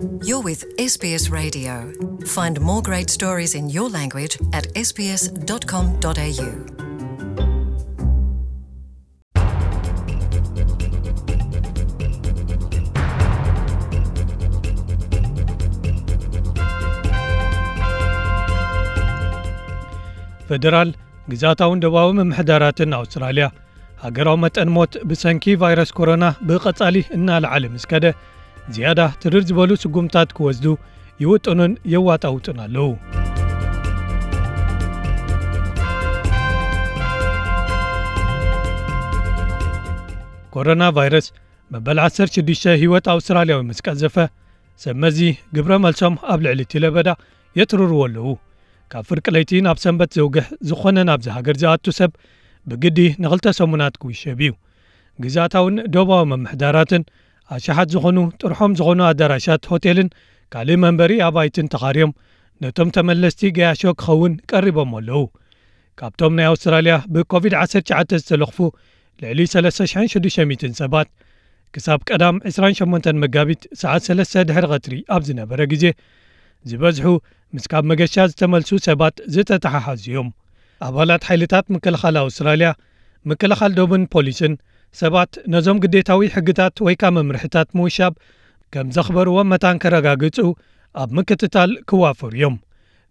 You're with S B S Radio. Find more great stories in your language at S B S dot com dot A U. ፈደራል፣ ግዝኣታውን ደቡባዊ ምምሕዳራትን ኣውስትራልያ፣ ሃገራዊ መጠን ሞት ብሰንኪ ቫይረስ ኮሮና ብቐጻሊ እናለዓለ ምስ ከደ፣ ዝያዳ ትርር ዝበሉ ስጉምታት ክወስዱ ይውጥኑን የዋጣውጡን ኣለዉ። ኮሮና ቫይረስ መበል ዓሰርተ ሽዱሽተ ህይወት ኣውስትራልያዊ ምስ ቀዘፈ፣ ሰብ መዚ ግብረ መልሶም ኣብ ልዕሊ እቲ ለበዳ የትርርዎ ኣለዉ። ካብ ፍርቂ ለይቲ ናብ ሰንበት ዘውግሕ ዝኾነ ናብዚ ሃገር ዝኣቱ ሰብ ብግዲ ንኽልተ ሰሙናት ክውሸብ እዩ። ግዝኣታውን ደቡባዊ ምምሕዳራትን ኣሽሓት ዝኾኑ ጥርሖም ዝኾኑ ኣዳራሻት ሆቴልን ካልእ መንበሪ ኣባይትን ተኻርዮም ነቶም ተመለስቲ ገያሾ ክኸውን ቀሪቦም ኣለዉ። ካብቶም ናይ ኣውስትራልያ ብኮቪድ ዓሰርተ ትሽዓተ ዝተለኽፉ ልዕሊ ሰለስተ ሽሕን ሽዱሽተ ሚእትን ሰባት፣ ክሳብ ቀዳም ዕስራን ሸሞንተን መጋቢት ሰዓት ሰለስተ ድሕሪ ቀትሪ ኣብ ዝነበረ ግዜ፣ ዝበዝሑ ምስ ካብ መገሻ ዝተመልሱ ሰባት ዝተተሓሓዙ እዮም። ኣባላት ሓይልታት ምክልኻል ኣውስትራልያ፣ ምክልኻል ዶብን ፖሊስን ሰባት ነዞም ግዴታዊ ሕግታት ወይ ከኣ መምርሕታት ምውሻብ ከም ዘኽበርዎም መታን ከረጋግጹ ኣብ ምክትታል ክዋፈሩ እዮም።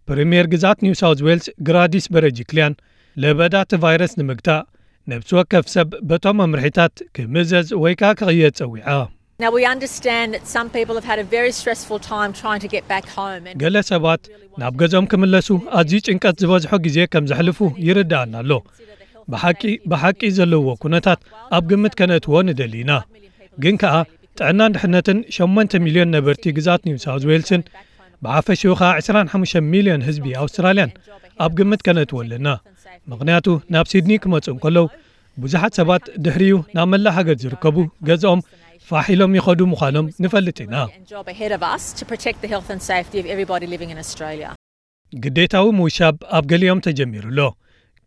ፕሪምየር ግዝኣት ኒው ሳውዝ ዌልስ ግራዲስ በረጅክልያን፣ ለበዳ እቲ ቫይረስ ንምግታእ ነብሲ ወከፍ ሰብ በቶም መምርሒታት ክምዘዝ ወይ ከኣ ክቕየድ ጸዊዓ። Now, we understand that some people have had a very stressful time trying to get back home. And ገለ ሰባት ናብ ገዝኦም ክምለሱ ኣዝዩ ጭንቀት ዝበዝሖ ግዜ ከም ዘሕልፉ ይርድኣና ኣሎ። ብሓቂ፣ ብሓቂ ዘለዎ ኩነታት ኣብ ግምት ከነእትዎ ንደሊ ኢና። ግን ከኣ ጥዕናን ድሕነትን ሸሞንተ ሚልዮን ነበርቲ ግዝኣት ኒው ሳውዝ ዌልስን ብሓፈሽኡ ከኣ ዕስራን ሓሙሽተ ሚልዮን ህዝቢ ኣውስትራልያን ኣብ ግምት ከነእትዎ ኣለና። ምኽንያቱ ናብ ሲድኒ ክመጹ እንከለዉ ብዙሓት ሰባት ድሕሪኡ ናብ መላእ ሃገር ዝርከቡ ገዝኦም ፋሕ ኢሎም ይኸዱ ምዃኖም ንፈልጥ ኢና። And job ahead of us to protect the health and safety of everybody living in Australia. ግዴታዊ ምውሻብ ኣብ ገሊኦም ተጀሚሩ ኣሎ።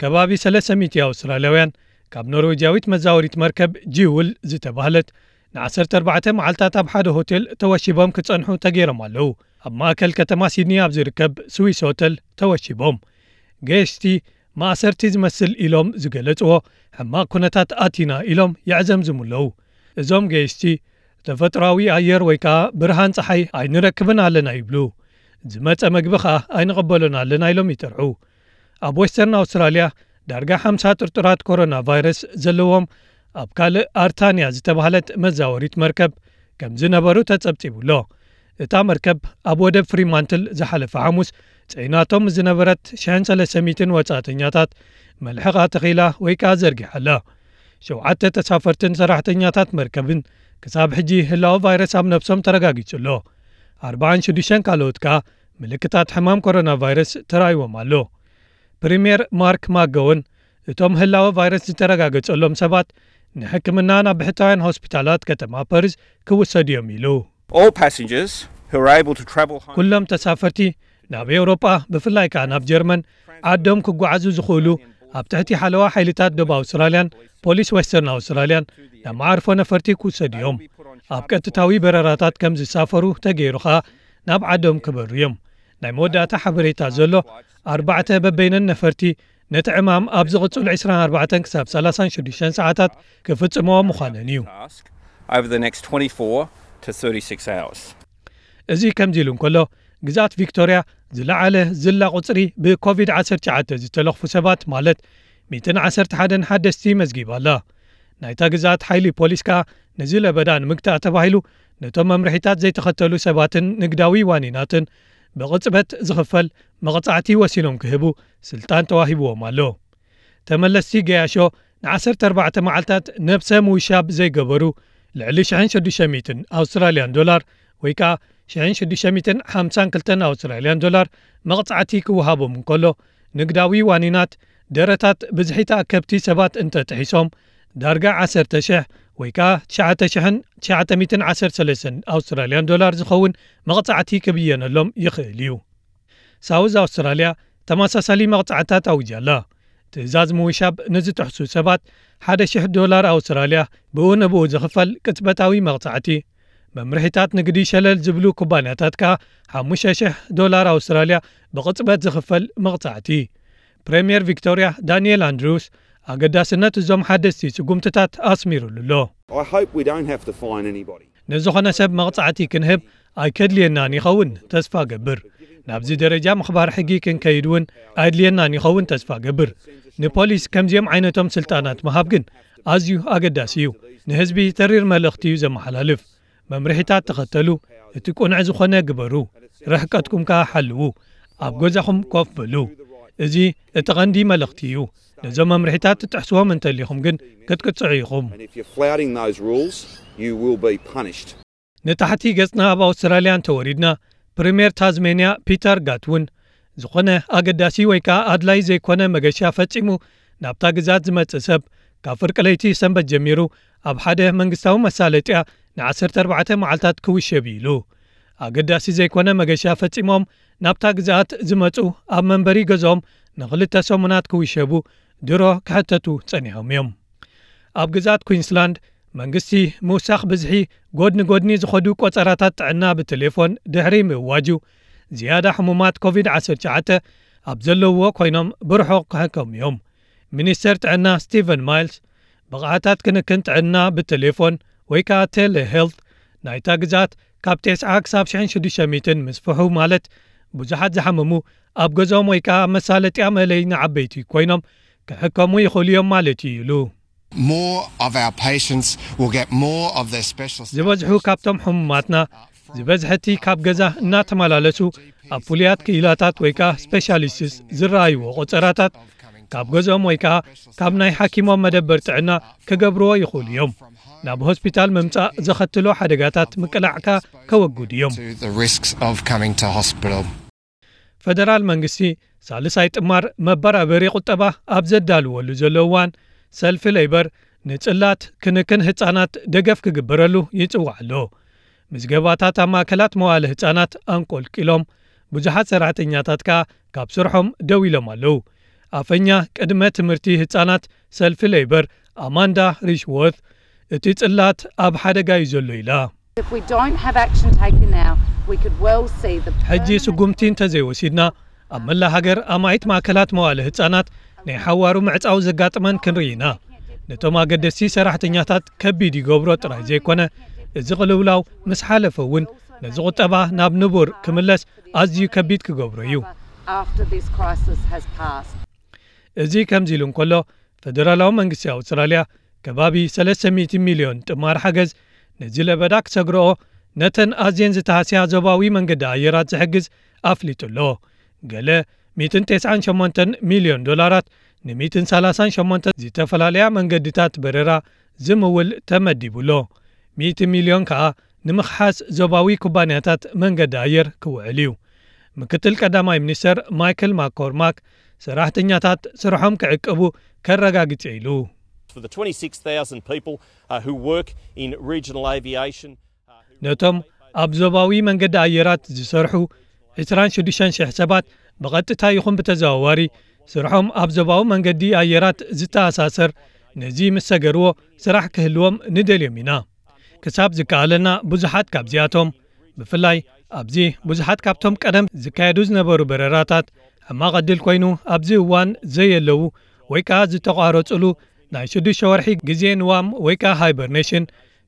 ከባቢ ሰለስተ ሚእቲ ኣውስትራልያውያን ካብ ኖርዌጃዊት መዛወሪት መርከብ ጂውል ዝተባህለት ንዓሰርተ ኣርባዕተ መዓልታት ኣብ ሓደ ሆቴል ተወሺቦም ክጸንሑ ተገይሮም ኣለዉ። ኣብ ማእከል ከተማ ሲድኒ ኣብ ዝርከብ ስዊስ ሆተል ተወሺቦም። ገየሽቲ ማእሰርቲ ዝመስል ኢሎም ዝገለጽዎ ሕማቕ ኩነታት ኣቲና ኢሎም የዕዘምዝሙ ኣለዉ። እዞም ገየሽቲ ተፈጥሮኣዊ ኣየር ወይ ከኣ ብርሃን ጸሓይ ኣይንረክብን ኣለና ይብሉ። ዝመጸ መግቢ ከኣ ኣይንቕበሎን ኣለና ኢሎም ይጠርዑ። ኣብ ዌስተርን ኣውስትራልያ ዳርጋ ሓምሳ ጥርጡራት ኮሮና ቫይረስ ዘለዎም ኣብ ካልእ ኣርታንያ ዝተባህለት መዛወሪት መርከብ ከም ዝነበሩ ተጸብጺቡ ኣሎ። እታ መርከብ ኣብ ወደብ ፍሪማንትል ዝሓለፈ ሓሙስ ጽዒናቶም ዝነበረት ሽሕን ሰለስተ ሚእትን ወጻእተኛታት መልሕቓ ተኺላ ወይ ከኣ ዘርጊሓ ኣላ። ሸውዓተ ተሳፈርትን ሰራሕተኛታት መርከብን ክሳብ ሕጂ ህላወ ቫይረስ ኣብ ነብሶም ተረጋጊጹ ኣሎ። ኣርባዓን ሽዱሽተን ካልኦት ከኣ ምልክታት ሕማም ኮሮና ቫይረስ ተራእይዎም ኣሎ። ፕሪምየር ማርክ ማገወን እቶም ህላወ ቫይረስ ዝተረጋገጸሎም ሰባት ንሕክምና ናብ ብሕታውያን ሆስፒታላት ከተማ ፓሪስ ክውሰዱ እዮም ኢሉ። All passengers who are able to travel home ኩሎም ተሳፈርቲ ናብ ኤውሮጳ፣ ብፍላይ ከኣ ናብ ጀርመን ዓዶም ክጓዓዙ ዝኽእሉ፣ ኣብ ትሕቲ ሓለዋ ሓይልታት ደቡብ ኣውስትራልያን ፖሊስ ዌስተርን ኣውስትራልያን ናብ መዓርፎ ነፈርቲ ክውሰዱ እዮም። ኣብ ቀጥታዊ በረራታት ከም ዝሳፈሩ ተገይሩ ከኣ ናብ ዓዶም ክበሩ እዮም። ናይ መወዳእታ ሓበሬታ ዘሎ ኣርባዕተ በበይነን ነፈርቲ ነቲ ዕማም ኣብ ዝቕጽሉ ዕስራን ኣርባዕተን ክሳብ ሰላሳን ሽዱሽተን ሰዓታት ክፍጽምዎ ምዃነን እዩ። Task over the next twenty-four to thirty-six hours. እዚ ከምዚ ኢሉ እንከሎ፣ ግዝኣት ቪክቶርያ ዝለዓለ ዝላ ቁጽሪ ብኮቪድ ዓሰርተ ትሽዓተ ዝተለኽፉ ሰባት ማለት ሚእትን ዓሰርተ ሓደን ሓደስቲ መዝጊባ ኣላ። ናይታ ግዝኣት ሓይሊ ፖሊስ ከኣ ነዚ ለበዳ ንምግታእ ተባሂሉ ነቶም መምርሒታት ዘይተኸተሉ ሰባትን ንግዳዊ ዋኒናትን ብቕጽበት ዝኽፈል መቕጻዕቲ ወሲኖም ክህቡ ስልጣን ተዋሂብዎም ኣሎ። ተመለስቲ ገያሾ ንዓሰርተ ኣርባዕተ መዓልታት ነብሰ ምውሻብ ዘይገበሩ ልዕሊ ሽሕን ሽዱሽተ ሚእትን ኣውስትራልያን ዶላር ወይ ከኣ ሽሕን ሽዱሽተ ሚእትን ሓምሳን ክልተን ኣውስትራልያን ዶላር መቕጻዕቲ ክወሃቦም እንከሎ፣ ንግዳዊ ዋኒናት ደረታት ብዝሒ ተኣከብቲ ሰባት እንተጥሒሶም ዳርጋ ዓሰርተ ሽሕ ወይ ከኣ ትሽዓተ ሽሕን ትሽዓተ ሚእትን ዓሰርተ ሰለስተን ኣውስትራልያን ዶላር ዝኸውን መቕጻዕቲ ክብየነሎም ይኽእል እዩ። ሳውዝ ኣውስትራልያ ተመሳሳሊ መቕጻዕታት ኣውጃ ኣላ። ትእዛዝ ምውሻብ ንዝጥሕሱ ሰባት ሓደ ሽሕ ዶላር ኣውስትራልያ ብኡ ንብኡ ዝኽፈል ቅጽበታዊ መቕጻዕቲ፣ መምርሒታት ንግዲ ሸለል ዝብሉ ኩባንያታት ከኣ ሓሙሽተ ሽሕ ዶላር ኣውስትራልያ ብቕጽበት ዝኽፈል መቕጻዕቲ። ፕሬምየር ቪክቶርያ ዳንኤል ኣንድሩስ ኣገዳስነት እዞም ሓደስቲ ስጉምትታት ኣስሚሩሉ ኣሎ። I hope we don't have to fine anybody. ንዝኾነ ሰብ መቕጻዕቲ ክንህብ ኣይከድልየናን ይኸውን፣ ተስፋ ገብር። ናብዚ ደረጃ ምኽባር ሕጊ ክንከይድ እውን ኣየድልየናን ይኸውን፣ ተስፋ ገብር። ንፖሊስ ከምዚኦም ዓይነቶም ስልጣናት ምሃብ ግን ኣዝዩ ኣገዳሲ እዩ። ንህዝቢ ተሪር መልእኽቲ እዩ ዘመሓላልፍ። መምርሒታት ተኸተሉ፣ እቲ ቅኑዕ ዝኾነ ግበሩ፣ ርሕቀትኩም ከኣ ሓልዉ፣ ኣብ ገዛኹም ኮፍ በሉ። እዚ እቲ ቐንዲ መልእኽቲ እዩ። ነዞም መምርሒታት ትጥሕስዎም እንተሊኹም ግን ክትቅጽዑ ኢኹም። And if you're flouting those rules, you will be punished. ንታሕቲ ገጽና ኣብ ኣውስትራልያ እንተወሪድና፣ ፕሪምየር ታዝሜንያ ፒተር ጋትውን ዝኾነ ኣገዳሲ ወይ ከኣ ኣድላይ ዘይኮነ መገሻ ፈጺሙ ናብታ ግዛት ዝመጽእ ሰብ ካብ ፍርቂ ለይቲ ሰንበት ጀሚሩ ኣብ ሓደ መንግስታዊ መሳለጥያ ን14 መዓልታት ክውሸብ ኢሉ። ኣገዳሲ ዘይኮነ መገሻ ፈጺሞም ናብታ ግዛት ዝመጹ ኣብ መንበሪ ገዝኦም ንኽልተ ሰሙናት ክውሸቡ ድሮ ክሕተቱ ጸኒሖም እዮም። ኣብ ግዛት ኩንስላንድ መንግስቲ ምውሳኽ ብዝሒ ጎድኒ ጎድኒ ዝኸዱ ቆጸራታት ጥዕና ብቴሌፎን ድሕሪ ምእዋጁ ዝያዳ ሕሙማት ኮቪድ-19 ኣብ ዘለውዎ ኮይኖም ብርሑቕ ክሕከሙ እዮም። ሚኒስተር ጥዕና ስቲቨን ማይልስ ብቕዓታት ክንክን ጥዕና ብቴሌፎን ወይ ከኣ ቴሌ ሄልት ናይታ ግዛት ካብ 90 ክሳብ 1,600 ምስፍሑ ማለት ብዙሓት ዝሓመሙ ኣብ ገዝኦም ወይ ከኣ መሳለጥያ መለይ ንዓበይቲ ኮይኖም ክሕከሙ ይኽእሉ እዮም ማለት እዩ ኢሉ። More of our patients will get more of their specialist. ዝበዝሑ ካብቶም ሕሙማትና ዝበዝሐቲ ካብ ገዛ እናተመላለሱ ኣብ ፍሉያት ክኢላታት ወይ ከኣ ስፔሻሊስትስ ዝረኣይዎ ቆጸራታት ካብ ገዝኦም ወይ ከኣ ካብ ናይ ሓኪሞም መደበር ጥዕና ክገብርዎ ይኽእሉ እዮም። ናብ ሆስፒታል ምምጻእ ዘኸትሎ ሓደጋታት ምቅላዕካ ከወግዱ እዮም። To the risks of coming to hospital. ፈደራል መንግስቲ ሳልሳይ ጥማር መበራበሪ ቁጠባ ኣብ ዘዳልወሉ ዘሎ እዋን ሰልፊ ሌበር ንጽላት ክንክን ህጻናት ደገፍ ክግበረሉ ይጽዋዕ ኣሎ። ምዝገባታት ኣብ ማእከላት መዋለ ህጻናት ኣንቆልቂሎም ብዙሓት ሰራሕተኛታት ከኣ ካብ ስርሖም ደው ኢሎም ኣለዉ። ኣፈኛ ቅድመ ትምህርቲ ህጻናት ሰልፊ ሌበር ኣማንዳ ሪሽዎርት እቲ ጽላት ኣብ ሓደጋ እዩ ዘሎ ኢላ። If we don't have action taken now, we could well see the ሕጂ ስጉምቲ እንተዘይወሲድና ኣብ መላ ሃገር ኣማኢት ማእከላት መዋለ ህጻናት ናይ ሓዋሩ ምዕጻው ዘጋጥመን ክንርኢ ኢና። ነቶም ኣገደስቲ ሰራሕተኛታት ከቢድ ይገብሮ ጥራይ ዘይኮነ እዚ ቅልውላው ምስ ሓለፈ እውን ነዚ ቁጠባ ናብ ንቡር ክምለስ ኣዝዩ ከቢድ ክገብሮ እዩ። After this crisis has passed. እዚ ከምዚ ኢሉ እንከሎ ፈደራላዊ መንግስቲ ኣውስትራልያ ከባቢ 300 ሚልዮን ጥማር ሓገዝ ነዚ ለበዳ ክሰግርኦ ነተን ኣዝየን ዝተሃስያ ዞባዊ መንገዲ ኣየራት ዝሕግዝ ኣፍሊጡ ኣሎ። ገለ 198 ሚልዮን ዶላራት ን138 ዝተፈላለያ መንገድታት በረራ ዝምውል ተመዲቡ ኣሎ። 100 ሚልዮን ከኣ ንምኽሓስ ዞባዊ ኩባንያታት መንገዲ ኣየር ክውዕል እዩ። ምክትል ቀዳማይ ሚኒስተር ማይክል ማኮርማክ ሰራሕተኛታት ስርሖም ክዕቅቡ ከረጋግጽ ኢሉ። For the twenty-six thousand people uh, who work in regional aviation, ነቶም ኣብ ዞባዊ መንገዲ ኣየራት ዝሰርሑ 26,000 ሰባት ብቐጥታ ይኹን ብተዘዋዋሪ ስርሖም ኣብ ዞባዊ መንገዲ ኣየራት ዝተኣሳሰር ነዚ ምስ ሰገርዎ ስራሕ ክህልዎም ንደልዮም ኢና። ክሳብ ዝከኣለና ብዙሓት ካብዚኣቶም ብፍላይ ኣብዚ ብዙሓት ካብቶም ቀደም ዝካየዱ ዝነበሩ በረራታት ሕማቕ ዕድል ኮይኑ ኣብዚ እዋን ዘየለዉ ወይ ከኣ ዝተቋረጹሉ ናይ ሽዱሽተ ወርሒ ግዜ ንዋም ወይ ከኣ ሃይበርኔሽን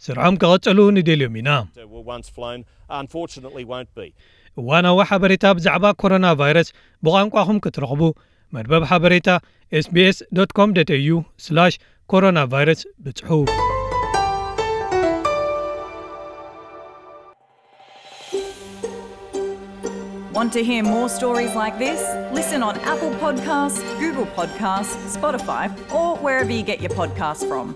ስርሖም ክቐጽሉ ንደልዮም ኢና። uh, were once flown, unfortunately won't be. እዋናዊ ሓበሬታ ብዛዕባ ኮሮና ቫይረስ ብቋንቋኹም ክትረኽቡ መርበብ ሓበሬታ ኤስቢኤስ ዶት ኮም ዶት ኤዩ ስላሽ ኮሮና ቫይረስ ብጽሑ። Want to hear more stories like this? Listen on Apple Podcasts, Google Podcasts, Spotify, or wherever you get your podcasts from.